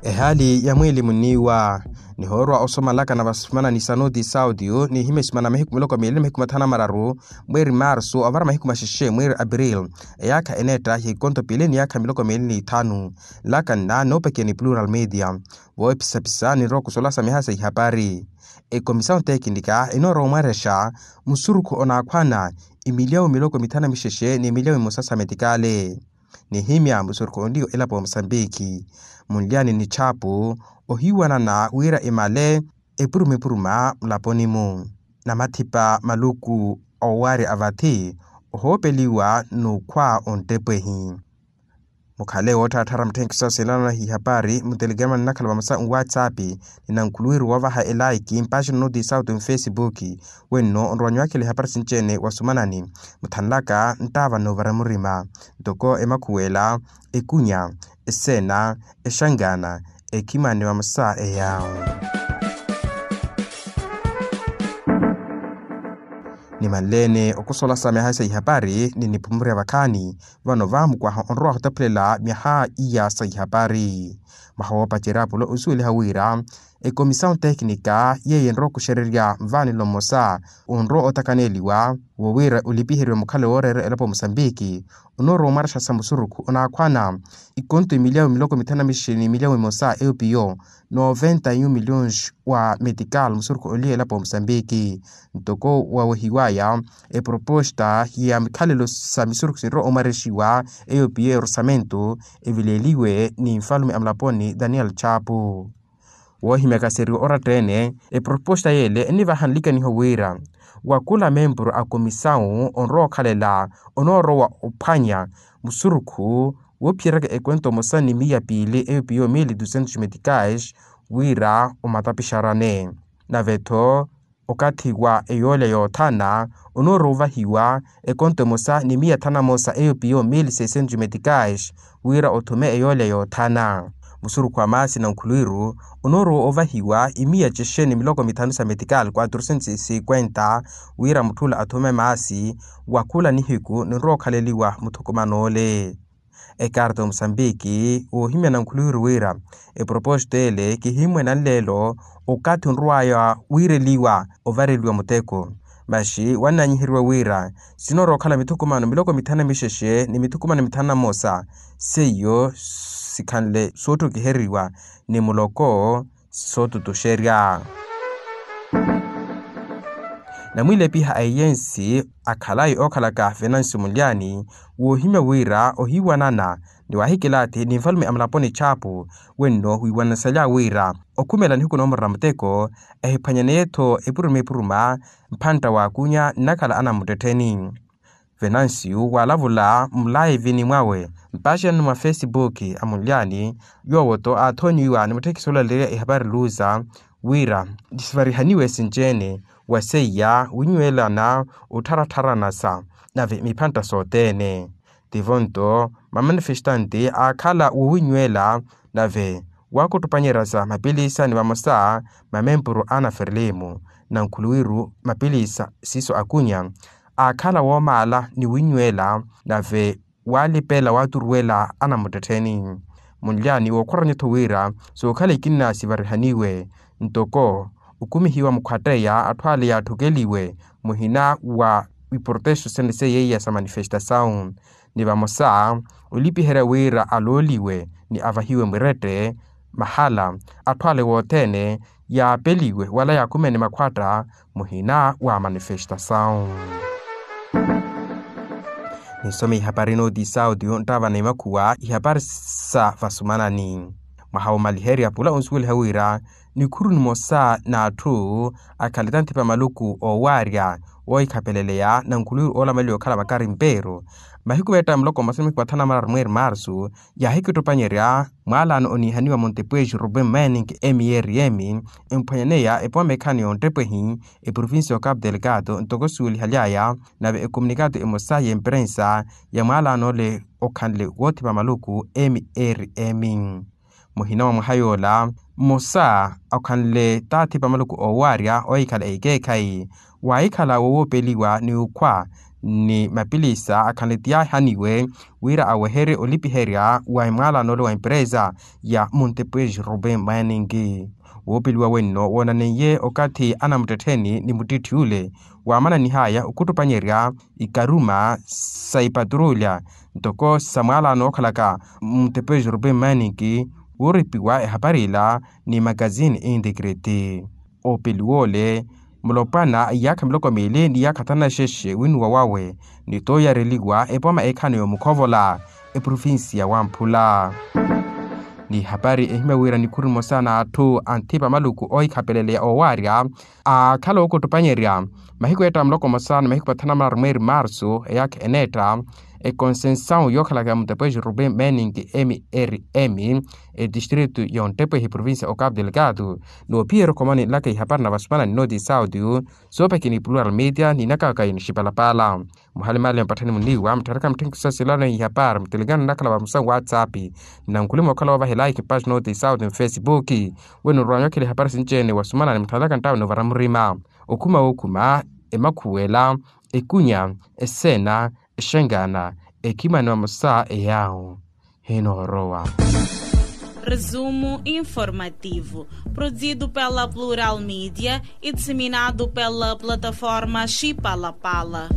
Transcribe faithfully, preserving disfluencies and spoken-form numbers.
Ehaali ya mwiili muniiwa. Nihoorwa osomalaka na vasumanani sa noti sauti, nihimya esimana mahiku miloko miili na mahiku mathanu na mararu mweeri marsu ovara mahiku maxexe mweeri april, eyaakha eneetta ya ikonto piili ni yaakha miloko miili n'ithanu. Nlaka nna noopakiya ni plural media. Voopisapisa ninrowa okusolasa mihaha sa ihapari. Ekomisawu tekinika enoorowa omwarexa musurukhu onaakhwana imiliyawu miloko mithanu na mixexe ni imiliyawu mimosa sa metikale. Nihimya musurukhu onliya elapo ya musambiki, munlyani ni chapu ohiiwanana wira imale epuruma epuruma mulaponi-mu. Namathipa maluku owaarya a vathi ohoopeliwa n'ukhwa onttepwehi. Mukhale woottharatthara mutthenkiso asinanana ihapari mutelegrama nnakhala vamosa nwatsapp, ni nankhuluwiru woovaha elaiki mpaxina noti sauti mfesipuki. Wenno onrowa nyuwakhela ihapari sinci-ene wasumanani. Muthanlaka nttaava noovara murima ntoko emakhuwela, ekunya, eseena, exangana, ekhimani vamosa eyawo. Nimanleene okusolasa mihaha sa ihapari ni nipumurya vakhaani. Vano vaamukwaha onrowa ohotaphulela myaha iya sa ihapari. Mwaha woopacerya pula osuweliha wira ekomisawu tekinika yeeyo enrowa okuxererya nvaanelo mmosa onrowa otakaneliwa wo wira olipiheriwe mukhale wooreera elapo ya musambiki, onoorowa omwarexa sa musurukhu onaakhwana ikonto imiliyawu miloko mithanu na mixexe ni imiliyawu mimosa eupiyo noventa yu miliyons wa metikal musurukhu onliya elapo ya musambiki. Ntoko wawehiwaya eproposta ya mikhalelo sa misurukhu sinrowa omwarexiwa eyo piyo ya orsamento, evileeliwe ni nfalume a mulaponi daniel chapu. Woohimyaka seriwa oratta-ene, eproposta yeele ennivaha nlikaniho wira wa khula memburu a komisawu onrowa okhalela onoorowa ophwanya musurukhu woophiyeryaka ekwento emosa ni miya piili eyo piyo mili dusentos metikais, wira omatapixarane. Nave-tho okathi wa eyoolya yoothana onoorowa ovahiwa ekonto emosa ni miya thanu na mosa eyo piyo mili seisentos metikais, wira othume eyoolya yoothana. Musurukhu wa maasi na nkhuluwiru onoorowa ovahiwa imiya cexe ni miloko mithanu sa metikal quatrocentos cinquenta, wira mutthula athume maasi wa khula nihiku ninrowa okhaleliwa muthukuman'ole. Ekarta omusambiki woohimya nankhuluwiru wira eproposito ele kihimmwena nleelo okathi onrowaya wiireliwa ovareliwa muteko. Maxi wannanyiheriwa wira sinoorowa okhala mithukumano miloko mithanu na mixexe ni mithukumano mithanu na mmosa seiyo sikhanle soottokiheriwa ni muloko sootutuxerya. Namwiilepiha a eyensi akhalayi ookhalaka venancio munlyani woohimya wira ohiiwanana ni waahikilaathi ni nfalume a mulaponi chapu wenno wiiwananasalya wira okhumela nihiku noomurela muteko ehiphwanyaneyo-tho epuruma epuruma mphantta waakunya nnakhala anamuttettheni. Venancio waalavula mulaivini mwawe mpaxanani mwa fesipuki a munlyani yoowo-tho aathoonyiwa ni mutthekisi oolaleya ehapari luza wira sivarihaniwe sinci-ene wa seiya winywelana ottharattharanasa nave miphantta sothene. Tivo-nto mamanifestanti aakhala wowinyweela nave waakuttupanyerya sa mapilisa ni vamosa mamempuru a naferlimu na nkhuluwiru mapilisa siiso akunya aakhala woomaala ni winyweela nave waalipela waaturuwela anamuttettheni. Munlyani wookhoranya-tho wira sookhala ikinna sivarihaniwe ntoko okumihiwa mukhwatteya atthu ale yaatthokkeliwe muhina wa iportexo sene seiya sa manifestasawu ni vamosa olipiherya wira alooliwe ni avahiwe mwirette mahala atthu ale wothene yaapeliwe wala yaakhumene makhwatta muhina wa manifestasawu. Ninsome ihapari nooti sauti nttaavana imakhuwa ihapari sa vasumanani. Mwaha womaliherya pula onsuweliha wira nikhuru nimosa n'atthu akhale tanthipa maluku oowaarya oohikhapeleleya na nkhuluwiru oolamaliwa okhala makari mpeeru mahiku meetta muloko mmosa ni mahiku mathanu na mararu mweeri marsu yaahikittupanyerya mwaalaano oniihaniwa montepueji ruben manning mrm emphwanyaneya epowa meekhaani yonttepwehi eprovincia ya ocapo delgado ntoko suwelihalyaya nave ekomunikato emosa y'emperensa ya mwaalaano ole okhanle woothipa maluku mrm muhina wa mwaha yoola mmosa okhanle taathipa maluku oowaarya oohikhala ekeekhayi waahikhala wowoopeliwa ni ukhwa ni mapilisa akhanle ti yaahaniwe wira aweherye olipiherya wa emwaalano ole wa emperesa ya montepuez robin mining. Woopeliwa wenno woonaneiye okathi anamuttettheni ni muttitthi ole waamananihaya okhuttupanyerya ikaruma sa ipaturulya ntoko sa mwaala nookhalaka mutepweji rupe mmaninki wooripiwa ehapari ila ni makazini integrity. Oopeliwa ole mulopwana iyaakha miloko miili ni iyaakha thanu na xexe winuwa wawe ni tooyareliwa epoma eekhano yoomukhovola eprovinsiya wamphula. Ni hapari ehimya wira nikhuru emosa n'atthu anthipa maluku oohikhapeleleya oowaarya aakhala ookuttupanyerya mahiku eetta muloko emosa ni mahiku mathanu na mararu mweeri marsu eyaakha eneetta ekonsensawu yookhalaka ya mutepweji ruben mening mrm etistritu y'ontepwehi provinsiya okapu delgado. Noophiyerya okhomani nlaka ihapari na vasumana ni nooti sauti soopekini plural media ni inakaka inixipalapala. Muhalimali mpatthani muniiwa muttharakhani mutthenkiso sa silano ihapari mutelikano nnakhala vamusa whatsapp. Nnankhulima okhala woovahela ikipasi nooti sauti mfesipuki weno nrwaanyokhela ihapari sinci-ene wasumana ni mutthalaka nttawe noovara murima okhuma wookhuma emakhuwela ekunya eseena exengana ekhimani vamosa eyaawo henoorowa. Resumo informativo, produzido pela Plural Media e disseminado pela plataforma Chipalapala.